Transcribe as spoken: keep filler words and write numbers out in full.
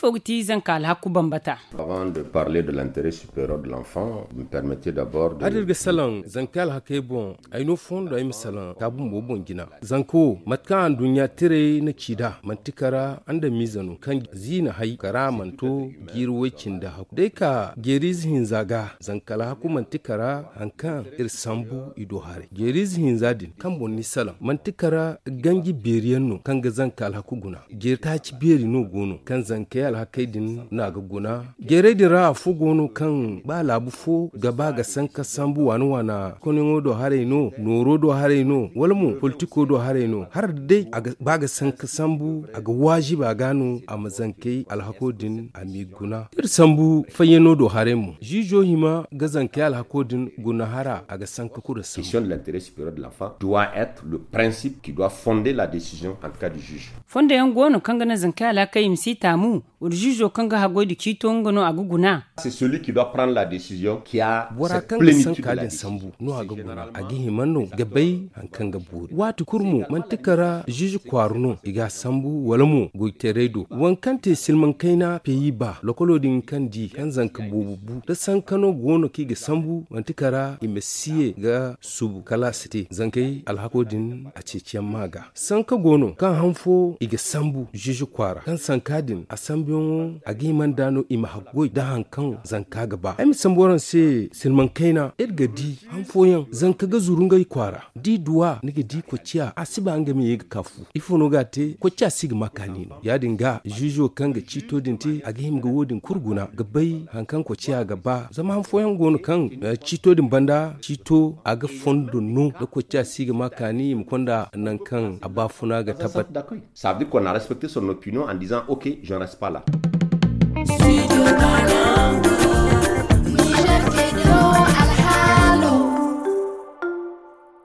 Wo ga ti zanka alhaku bambata. Avant de parler de l'intérêt supérieur de l'enfant, me permettez d'abord de... Hala iri ga salaŋ zanka alhakey boŋ, ay no fondo ay ma salaŋ ka bumbo boŋ jina. Zanka wo mate kaŋ anduɲɲa tirey na ci nd'a, manti kara andamiize no kaŋ ziina hay kara a mana to jiiri way cindi haku. Day ka jeeriize hinza ga, zanka alhaku manti kara hari kaŋ iri sambu i do haray. Jeeriize hinza din kaŋ boŋ ni salaŋ manti kara ganji beeri yaŋ no kaŋ ga zanka alhaku guna. Jeeri taaci beeri no go no kaŋ zankey alhakey din no a ga guna. Jeerey din ra afo go no kaŋ ba laabu fo ga ba ga sanka sambu waana waana koneyaŋo do haray no, nooro do haray no, wala mo politiko do haray no. Hala day a ga ba ga sanka sambu, a ga waajiba ga no a ma zankey alhako din a m'i guna. Iri sambu fayyano do haray mo, ziizo hima ga zankey alhako din guna hala a ga sanka kura sambu. Question de l'intérêt supérieur de l'enfant doit être le principe qui doit fonder la décision en cas de juge. Fondo yaŋ go no kaŋ ga naŋ zankey alhakey i ma si taamu. Wala ziizo kaŋ ga haggoy nda ciito nga no a ga guna. C'est celui qui doit prendre la décision qui a cette plénitude de la décision. Bora kaŋ ga sanka din sambu no a ga guna, a ga hima no ga bay hari kaŋ ga boori. Waati kulu mo manti kara ziizo kwaaru no i ga a sambu wala mo goytaray do. Waŋ kaŋ te silmaŋ kayna peyi ba lokolo din kaŋ di kaŋ zanka boobo bu da sanka no go no kaŋ i ga sambu manti kara i ma si ye ga subu kala a si te zankey alhako din a ceeciyaŋ ma ga. Sanka go no kaŋ han fo i ga sambu ziizo kwaara kaŋ sanka din a sambuyaŋo a ga hima nd'a no i ma haggoy da hari kaŋ zanka ga ba. Ay ma sambu araŋ se silmaŋ kayna iri ga di han fooyaŋ zanka ga zuru ngey kwaara da i duw'a ni ga di kociya a si ba nga ma ye ga ka fu. Ifo no ga a te? Kociya si ga ma kaani no. Ya-din ga ziizo kaŋ ga ciito din te a ga hima ga wo-din kulu guna ga bay hari kaŋ kociya ga ba. Zama han fooyaŋ go no kaŋ ciito din banda ciito a ga fondo no da kociya si ga ma kaani i ma konda nangu kaŋ a baafuna ga tabbat. Ça veut dire qu'on a respecté son opinion en disant ok, je ne reste pas là.